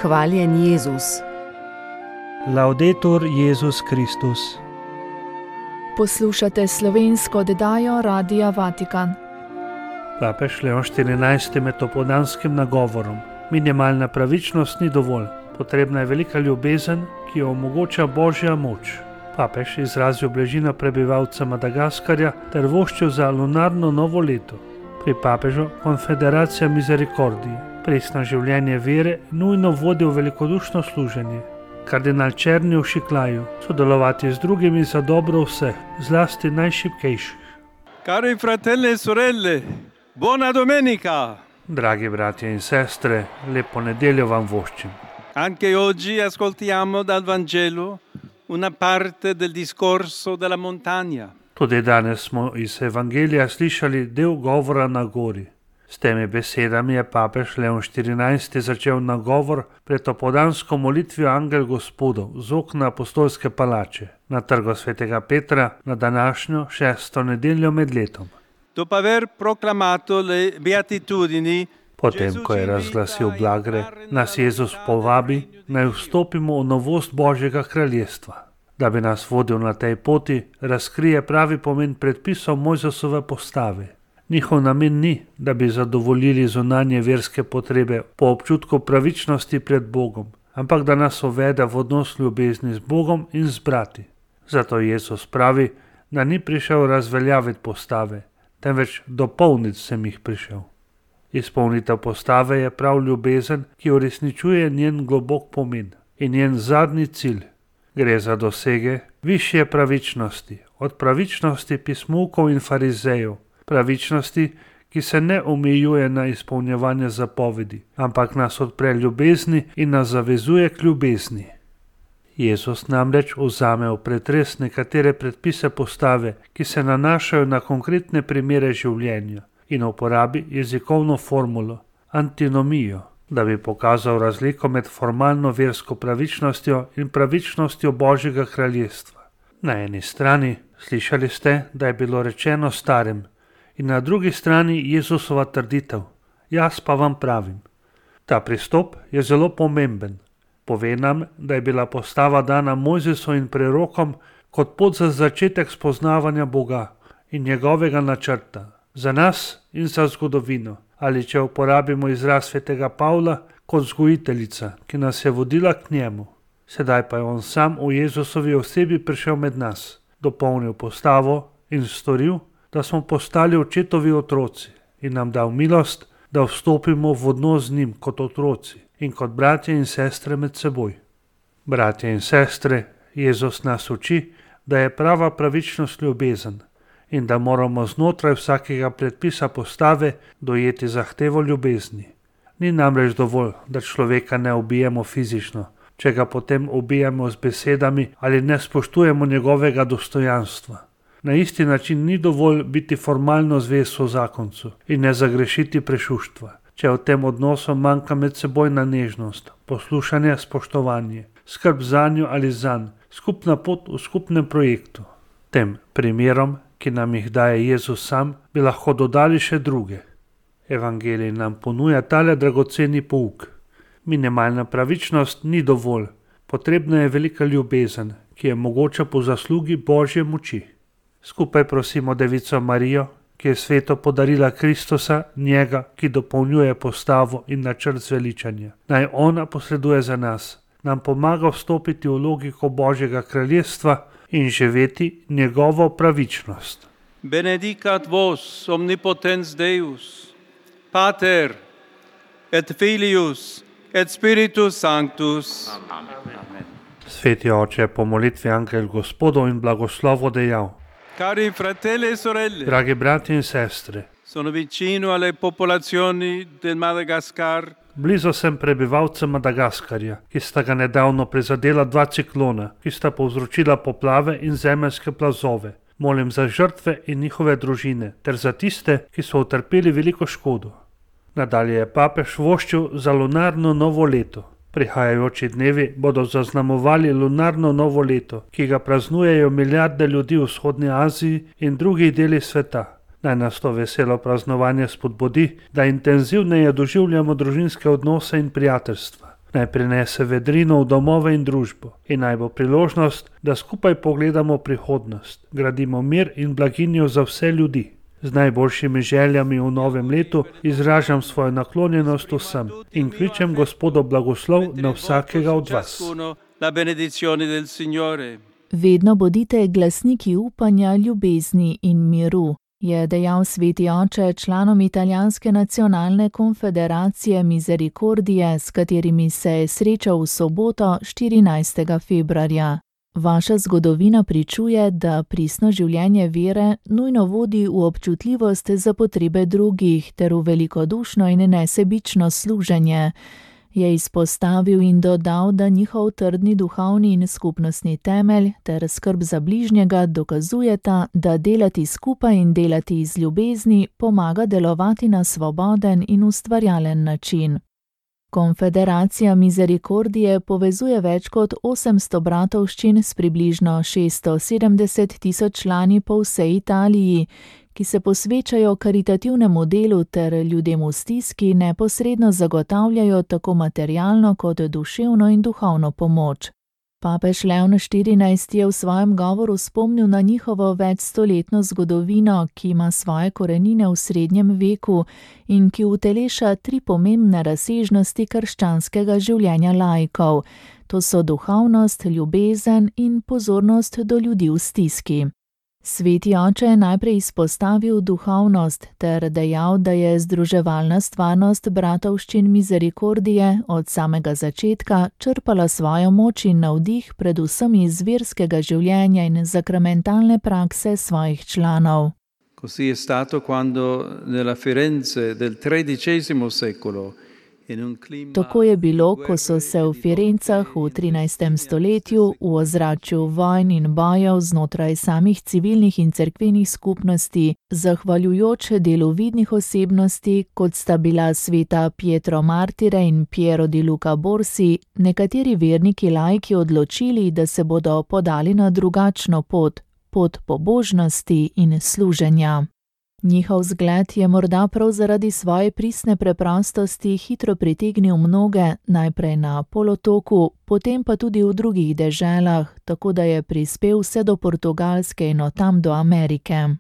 Hvaljen Jezus. Laudetur Jezus Kristus. Poslušate slovensko oddajo Radia Vatikan. Papež Leon XIV med opoldanskim nagovorom: minimalna pravičnost ni dovolj, potrebna je velika ljubezen, ki jo omogoča Božja moč. Papež izrazil bližino prebivalca Madagaskarja ter voščil za lunarno novo leto. Pri papežu Konfederacija Misericordije presno življenje vere nujno vodi v velikodušno služenje. Kardinal Černi v Šiklaju: sodelovati z drugimi za dobro vseh, zlasti najšibkejših. Cari fratelli e sorelle, buona domenica! Dragi bratje in sestre, lepo nedeljo vam voščim. Anche oggi ascoltiamo dal Vangelo una parte del discorso della montagna. Tudi danes smo iz Evangelija slišali del govora na gori. S temi besedami je papež Leon XIV začel nagovor pred opoldansko molitvijo Angel Gospodov z okna apostolske palače na trgu svetega Petra na današnjo 6. nedeljo med letom. Dopo aver proclamato le beatitudini, Potem, ko je razglasil blagre, nas Jezus povabi, naj vstopimo v novost Božjega kraljestva. Da bi nas vodil na tej poti, razkrije pravi pomen predpisov Mojzesove postave. Njihov namen ni, da bi zadovoljili zunanje verske potrebe po občutku pravičnosti pred Bogom, ampak da nas uvede v odnos ljubezni z Bogom in z brati. Zato Jezus pravi, da ni prišel razveljaviti postave, temveč dopolniti sem jih prišel. Izpolnitev postave je prav ljubezen, ki uresničuje njen globok pomen in njen zadnji cilj. Gre za dosege višje pravičnosti, od pravičnosti pismukov in farizejev, pravičnosti, ki se ne omejuje na izpolnjevanje zapovedi, ampak nas odpre ljubezni in nas zavezuje k ljubezni. Jezus namreč vzame v pretres nekatere predpise postave, ki se nanašajo na konkretne primere življenja, in uporabi jezikovno formulo, antinomijo, da bi pokazal razliko med formalno versko pravičnostjo in pravičnostjo Božjega kraljestva. Na eni strani slišali ste, da je bilo rečeno starim, in na drugi strani Jezusova trditev: jaz pa vam pravim. Ta pristop je zelo pomemben. Pove nam, da je bila postava dana Mojzesu in prerokom kot pot za začetek spoznavanja Boga in njegovega načrta, za nas in za zgodovino, ali če uporabimo izraz svetega Pavla, kot vzgojiteljica, ki nas je vodila k njemu. Sedaj pa je on sam v Jezusovi osebi prišel med nas, dopolnil postavo in storil, da smo postali očetovi otroci in nam dal milost, da vstopimo v odnos z njim kot otroci in kot bratje in sestre med seboj. Bratje in sestre, Jezus nas uči, da je prava pravičnost ljubezen in da moramo znotraj vsakega predpisa postave dojeti zahtevo ljubezni. Ni namreč dovolj, da človeka ne ubijemo fizično, če ga potem ubijemo z besedami ali ne spoštujemo njegovega dostojanstva. Na isti način ni dovolj biti formalno zvest zakoncu in ne zagrešiti prešuštva, če v tem odnosu manjka medsebojna nežnost, poslušanje, spoštovanje, skrb zanjo ali zanj, skupna pot v skupnem projektu. Tem primerom, ki nam jih daje Jezus sam, bi lahko dodali še druge. Evangelij nam ponuja tale dragoceni pouk. Minimalna pravičnost ni dovolj, potrebna je velika ljubezen, ki je mogoča po zaslugi Božje moči. Skupaj prosimo Devico Marijo, ki je svetu podarila Kristusa, njega, ki dopolnjuje postavo in načrt zveličanja. Naj ona posreduje za nas, nam pomaga vstopiti v logiko Božjega kraljestva in živeti njegovo pravičnost. benedicat vos omnipotens Deus, Pater et Filius et Spiritus Sanctus. Amen. Sveti oče, po molitvi Angel Gospodov in blagoslovo dejal: Cari fratelli e sorelle, dragi bratje in sestre, sono vicino alle popolazioni del Madagascar. Blizu sem prebivalcem Madagaskarja, ki sta ga nedavno prizadela 2 ciklona, ki sta povzročila poplave in zemeljske plazove. Molim za žrtve in njihove družine, ter za tiste, ki so utrpeli veliko škodo. Nadalje je papež voščil za lunarno novo leto. Prihajajoči dnevi bodo zaznamovali lunarno novo leto, ki ga praznujejo milijarde ljudi v vzhodni Aziji in drugih delih sveta. Naj nas to veselo praznovanje spodbudi, da intenzivneje doživljamo družinske odnose in prijateljstva. Naj prinese vedrino v domove in družbo in naj bo priložnost, da skupaj pogledamo prihodnost, gradimo mir in blaginjo za vse ljudi. Z najboljšimi željami v novem letu izražam svojo naklonjenost vsem in kličem Gospodov blagoslov na vsakega od vas. La benedizione del Signore. Vedno bodite glasniki upanja, ljubezni in miru, je dejal sveti oče članom italijanske nacionalne konfederacije Misericordije, s katerimi se je srečal v soboto 14. februarja. Vaša zgodovina pričuje, da pristno življenje vere nujno vodi v občutljivost za potrebe drugih ter v velikodušno in nesebično služenje. Je izpostavil in dodal, da njihov trdni duhovni in skupnostni temelj ter skrb za bližnjega dokazujeta, da delati skupaj in delati iz ljubezni pomaga delovati na svoboden in ustvarjalen način. Konfederacija Misericordije povezuje več kot 800 bratovščin s približno 670 tisoč člani po vsej Italiji, ki se posvečajo karitativnemu delu ter ljudem v stiski neposredno zagotavljajo tako materialno kot duševno in duhovno pomoč. Papež Leon XIV je v svojem govoru spomnil na njihovo večstoletno zgodovino, ki ima svoje korenine v srednjem veku in ki uteleša 3 pomembne razsežnosti krščanskega življenja laikov. To so duhovnost, ljubezen in pozornost do ljudi v stiski. Sveti oče je najprej izpostavil duhovnost ter dejal, da je združevalna stvarnost bratovščin Misericordije od samega začetka črpala svojo moč in navdih predvsem iz verskega življenja in sakramentalne prakse svojih članov. Così è stato quando nella Firenze del XIII secolo. Tako je bilo, ko so se v Firencah v 13. stoletju v ozračju vojn in bojev znotraj samih civilnih in cerkvenih skupnosti, zahvaljujoč delu vidnih osebnosti, kot sta bila sveta Pietro Martire in Piero di Luca Borsi, nekateri verniki laiki odločili, da se bodo podali na drugačno pot pobožnosti in služenja. Njihov zgled je morda prav zaradi svoje pristne preprostosti hitro pritegnil mnoge, najprej na polotoku, potem pa tudi v drugih deželah, tako da je prispel vse do Portugalske in od tam do Amerike.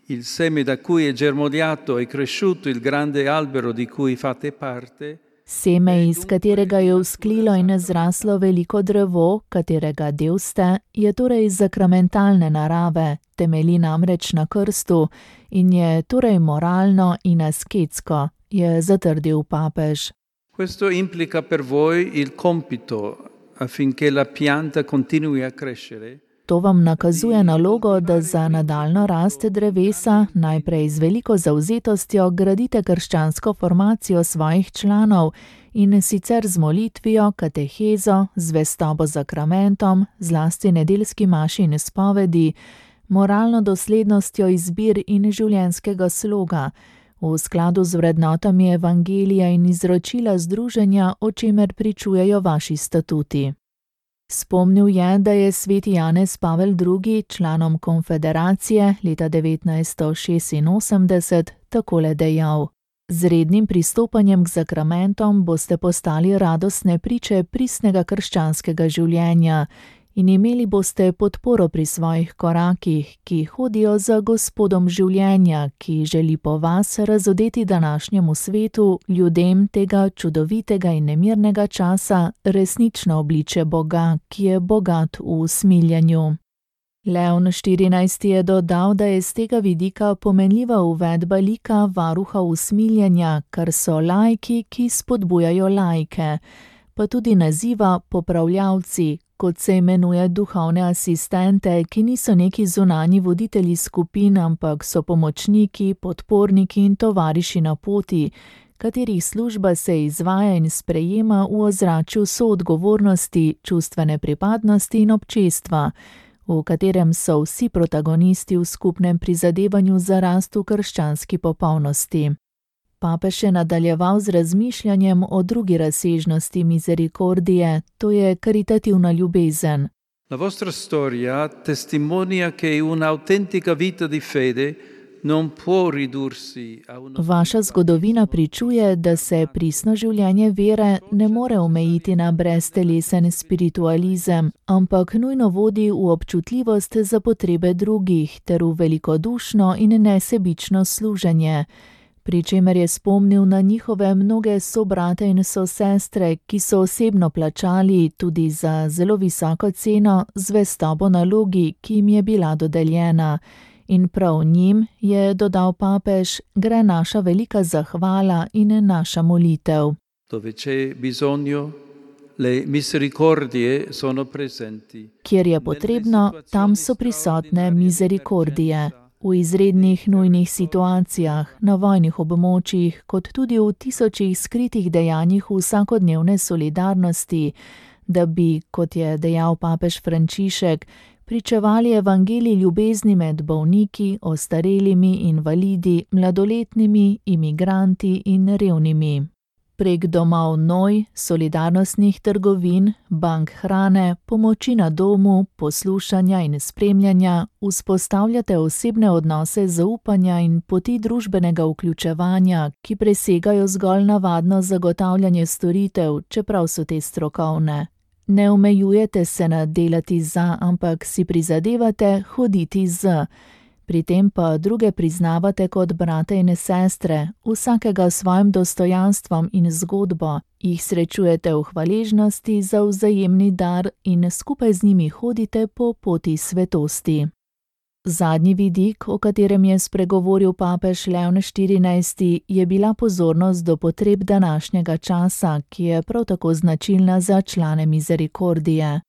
Il seme da cui è germogliato e cresciuto il grande albero di cui fate parte. Seme, iz katerega je vzklilo in zraslo veliko drevo, katerega del ste, je torej sakramentalne narave, temelji namreč na krstu in je torej moralno in asketsko, je zatrdil papež. Questo implica per voi il compito affinché la pianta continui a crescere. To vam nakazuje nalogo, da za nadaljno rast drevesa najprej z veliko zavzetostjo gradite krščansko formacijo svojih članov in sicer z molitvijo, katehezo, zvestobo zakramentom, zlasti nedeljski maši in spovedi, moralno doslednostjo izbir in življenjskega sloga, v skladu z vrednotami evangelija in izročila združenja, o čemer pričujejo vaši statuti. Spomnil je, da je sveti Janez Pavel II. Članom konfederacije leta 1986 takole dejal: Z rednim pristopanjem k zakramentom boste postali radostne priče pristnega krščanskega življenja in imeli boste podporo pri svojih korakih, ki hodijo za Gospodom življenja, ki želi po vas razodeti današnjemu svetu, ljudem tega čudovitega in nemirnega časa, resnično obliče Boga, ki je bogat v usmiljenju. Leon XIV. Je dodal, da je z tega vidika pomenljiva uvedba lika varuha usmiljenja, kar so laiki, ki spodbujajo laike, pa tudi naziva popravljavci, kot se imenuje duhovne asistente, ki niso neki zunanji voditelji skupin, ampak so pomočniki, podporniki in tovariši na poti, katerih služba se izvaja in sprejema v ozračju soodgovornosti, čustvene pripadnosti in občestva, v katerem so vsi protagonisti v skupnem prizadevanju za rast v krščanski popolnosti. Papež je nadaljeval z razmišljanjem o drugi razsežnosti Misericordije, to je karitativna ljubezen. La vostra storia testimonia che un'autentica vita di fede non può ridursi a uno. Vaša zgodovina pričuje, da se pristno življenje vere ne more omejiti na breztelesen spiritualizem, ampak nujno vodi v občutljivost za potrebe drugih ter v velikodušno in nesebično služenje. Pri čemer je spomnil na njihove mnoge sobrate in sosestre, ki so osebno plačali tudi za zelo visoko ceno zvestobo nalogi, ki jim je bila dodeljena. In prav njim, je dodal papež, gre naša velika zahvala in naša molitev. Dove c'è bisogno, le misericordie sono presenti. Kjer je potrebno, tam so prisotne misericordije. V izrednih nujnih situacijah, na vojnih območjih, kot tudi v tisočih skritih dejanjih vsakodnevne solidarnosti, da bi, kot je dejal papež Frančišek, pričevali evangelij ljubezni med bolniki, ostarelimi, invalidi, mladoletnimi, imigranti in revnimi. Prek domov Noj, solidarnostnih trgovin, bank hrane, pomoči na domu, poslušanja in spremljanja vzpostavljate osebne odnose zaupanja in poti družbenega vključevanja, ki presegajo zgolj navadno zagotavljanje storitev, čeprav so te strokovne. Ne omejujete se na delati za, ampak si prizadevate hoditi z. Pri tem pa druge priznavate kot brate in sestre, vsakega s svojim dostojanstvom in zgodbo, jih srečujete v hvaležnosti za vzajemni dar in skupaj z njimi hodite po poti svetosti. Zadnji vidik, o katerem je spregovoril papež Leon XIV, je bila pozornost do potreb današnjega časa, ki je prav tako značilna za člane Misericordije.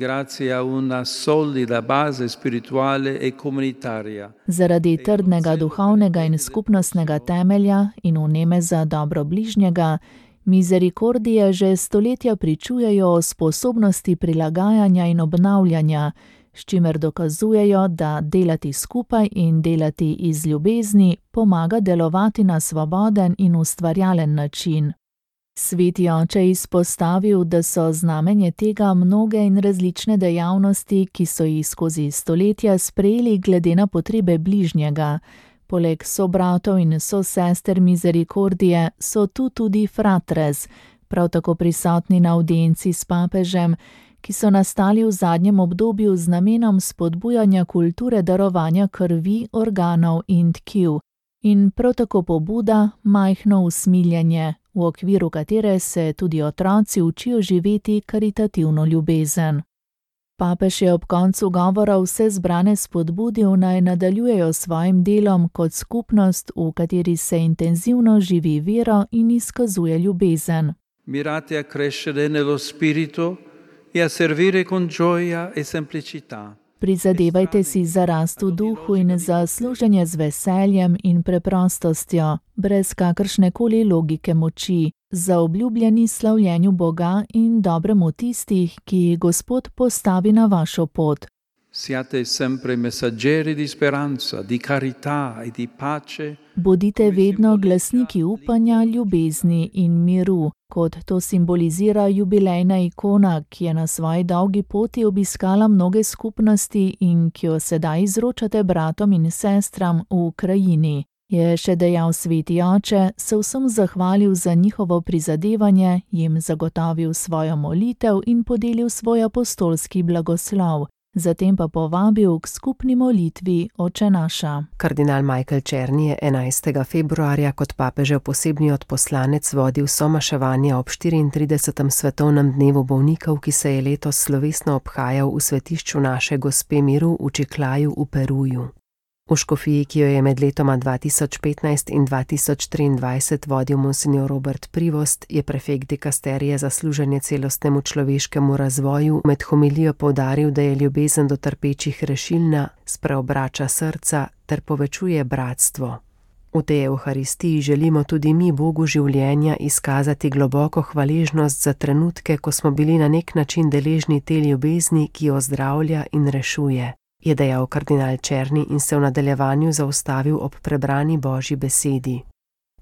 Grazie a una solida base spirituale e comunitaria. Zaradi trdnega duhovnega in skupnostnega temelja in vneme za dobro bližnjega, Misericordije že stoletja pričujejo o sposobnosti prilagajanja in obnavljanja, s čimer dokazujejo, da delati skupaj in delati iz ljubezni pomaga delovati na svoboden in ustvarjalen način. Sveti oče izpostavil, da so znamenje tega mnoge in različne dejavnosti, ki so jih skozi stoletja sprejeli glede na potrebe bližnjega. Poleg sobratov in sosester Misericordije so tu tudi fratres, prav tako prisotni na avdienci s papežem, ki so nastali v zadnjem obdobju z namenom spodbujanja kulture darovanja krvi, organov in tkiv. In prav tako pobuda majhno usmiljenje, v okviru katere se tudi otroci učijo živeti karitativno ljubezen. Papež je ob koncu govora vse zbrane spodbudil, naj nadaljujejo svojim delom kot skupnost, v kateri se intenzivno živi vero in izkazuje ljubezen. Mirate a crescere nello spirito e a servire con gioia e semplicità. Prizadevajte si za rast v duhu in za služenje z veseljem in preprostostjo, brez kakršnekoli logike moči, za obljubljeni slavljenju Boga in dobremu tistih, ki jih Gospod postavi na vašo pot. Siate sempre messaggeri di speranza, di carità e di pace. Bodite vedno glasniki upanja, ljubezni in miru, kot to simbolizira jubilejna ikona, ki je na svoji dolgi poti obiskala mnoge skupnosti in ki jo sedaj izročate bratom in sestram v Ukrajini. Je še dejal sveti oče, se vsem zahvalil za njihovo prizadevanje, jim zagotovil svojo molitev in podelil svoj apostolski blagoslov. Zatem pa povabil k skupni molitvi Oče naša. Kardinal Michael Czerny je 11. februarja kot papežev posebni odposlanec vodil somaševanje ob 34. svetovnem dnevu bolnikov, ki se je letos slovesno obhajal v svetišču Naše Gospe miru v Čiklaju v Peruju. V škofiji, ki jo je med letoma 2015 in 2023 vodil monsignor Robert Privost, je prefekt dikasterije za služenje celostnemu človeškemu razvoju med homilijo poudaril, da je ljubezen do trpečih rešilna, spreobrača srca ter povečuje bratstvo. V tej evharistiji želimo tudi mi Bogu življenja izkazati globoko hvaležnost za trenutke, ko smo bili na nek način deležni te ljubezni, ki ozdravlja in rešuje, je dejal kardinal Czerny in se v nadaljevanju zaustavil ob prebrani Božji besedi.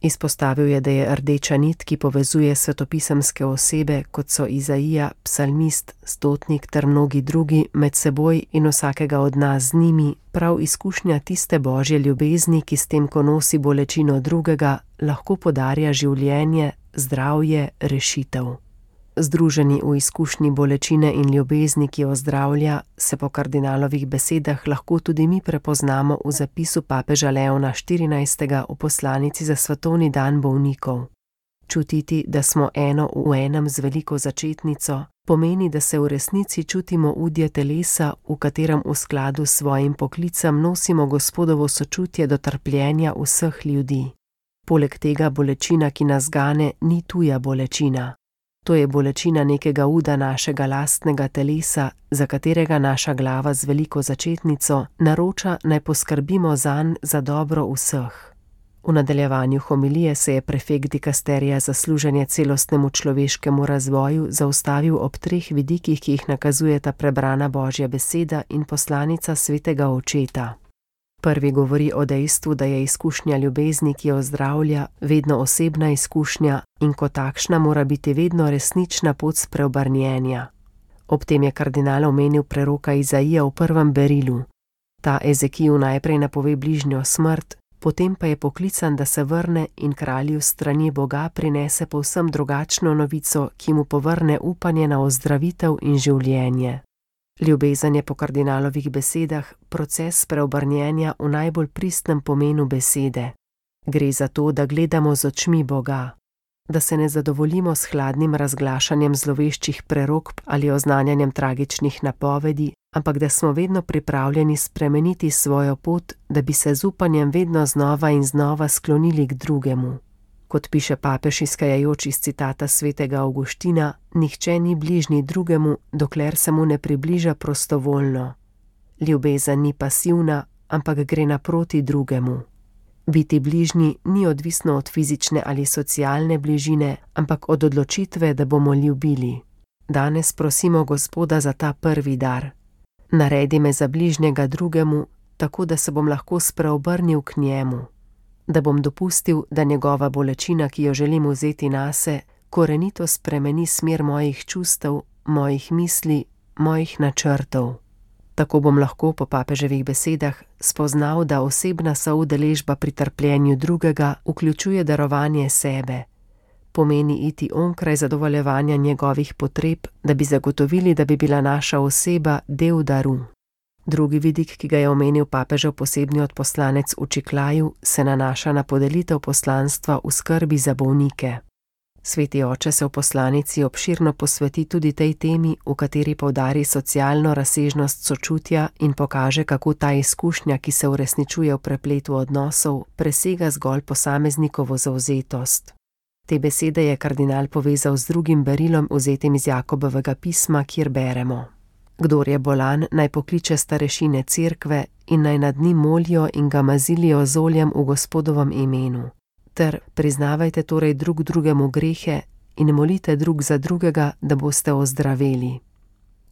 Izpostavil je, da je rdeča nit, ki povezuje svetopisemske osebe, kot so Izaija, psalmist, stotnik ter mnogi drugi, med seboj in vsakega od nas z njimi, prav izkušnja tiste božje ljubezni, ki s tem, ko nosi bolečino drugega, lahko podarja življenje, zdravje, rešitev. Združeni v izkušnji bolečine in ljubezni, ki ozdravlja, se po kardinalovih besedah lahko tudi mi prepoznamo v zapisu papeža Leona XIV. V poslanici za svetovni dan bolnikov. Čutiti, da smo eno v enem z veliko začetnico, pomeni, da se v resnici čutimo udje telesa, v katerem v skladu s svojim poklicem nosimo Gospodovo sočutje do trpljenja vseh ljudi. Poleg tega bolečina, ki nas gane, ni tuja bolečina. To je bolečina nekega uda našega lastnega telesa, za katerega naša glava z veliko začetnico naroča, naj poskrbimo zanj za dobro vseh. V nadaljevanju homilije se je prefekt dikasterija za služenje celostnemu človeškemu razvoju zaustavil ob 3 vidikih, ki jih nakazujeta prebrana Božja beseda in poslanica svetega očeta. Prvi govori o dejstvu, da je izkušnja ljubezni, ki jo ozdravlja, vedno osebna izkušnja in kot takšna mora biti vedno resnična pot spreobrnjenja. Ob tem je kardinal omenil preroka Izaija v 1. berilu. Ta Ezekiju najprej napove bližnjo smrt, potem pa je poklican, da se vrne in kralju strani Boga prinese povsem drugačno novico, ki mu povrne upanje na ozdravitev in življenje. Ljubezen je po kardinalovih besedah proces spreobrnjenja v najbolj pristnem pomenu besede. Gre za to, da gledamo z očmi Boga, da se ne zadovoljimo s hladnim razglašanjem zloveščih prerokb ali oznanjanjem tragičnih napovedi, ampak da smo vedno pripravljeni spremeniti svojo pot, da bi se z upanjem vedno znova in znova sklonili k drugemu. Kot piše papež, izhajajoč iz citata svetega Avguština, nihče ni bližnji drugemu, dokler se mu ne približa prostovoljno. Ljubezen ni pasivna, ampak gre naproti drugemu. Biti bližnji ni odvisno od fizične ali socialne bližine, ampak od odločitve, da bomo ljubili. Danes prosimo Gospoda za ta prvi dar. Naredi me za bližnjega drugemu, tako da se bom lahko spreobrnil k njemu. Da bom dopustil, da njegova bolečina, ki jo želim vzeti nase, korenito spremeni smer mojih čustev, mojih misli, mojih načrtov. Tako bom lahko po papeževih besedah spoznal, da osebna soudeležba pri trpljenju drugega vključuje darovanje sebe. Pomeni iti onkraj zadovoljevanja njegovih potreb, da bi zagotovili, da bi bila naša oseba del daru. Drugi vidik, ki ga je omenil papežev posebni odposlanec v Čiklaju, se nanaša na podelitev poslanstva v skrbi za bolnike. Sveti oče se v poslanici obširno posveti tudi tej temi, v kateri poudari socialno razsežnost sočutja in pokaže, kako ta izkušnja, ki se uresničuje v prepletu odnosov, presega zgolj posameznikovo zavzetost. Te besede je kardinal povezal z drugim berilom, vzetim iz Jakobovega pisma, kjer beremo: Kdor je bolan, naj pokliče starešine cerkve in naj nad njim molijo in ga mazilijo z oljem v Gospodovem imenu. Ter priznavajte torej drug drugemu grehe in molite drug za drugega, da boste ozdraveli.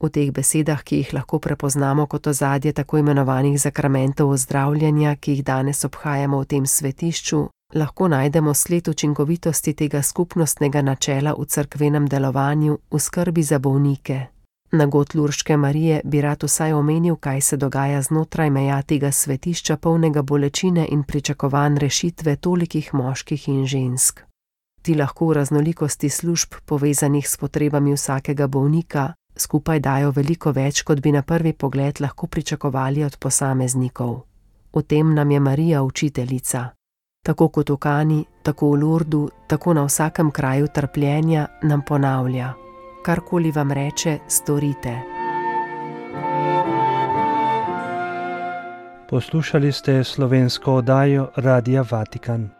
V teh besedah, ki jih lahko prepoznamo kot ozadje tako imenovanih zakramentov ozdravljanja, ki jih danes obhajamo v tem svetišču, lahko najdemo sled učinkovitosti tega skupnostnega načela v cerkvenem delovanju v skrbi za bolnike. Na god Lurške Marije bi rad vsaj omenil, kaj se dogaja znotraj meja tega svetišča polnega bolečine in pričakovanj rešitve tolikih moških in žensk. Ti lahko v raznolikosti služb, povezanih s potrebami vsakega bolnika, skupaj dajo veliko več, kot bi na prvi pogled lahko pričakovali od posameznikov. V tem nam je Marija učiteljica. Tako kot v Kani, tako v Lurdu, tako na vsakem kraju trpljenja nam ponavlja: karkoli vam reče, storite. Poslušali ste slovensko oddajo Radia Vatikan.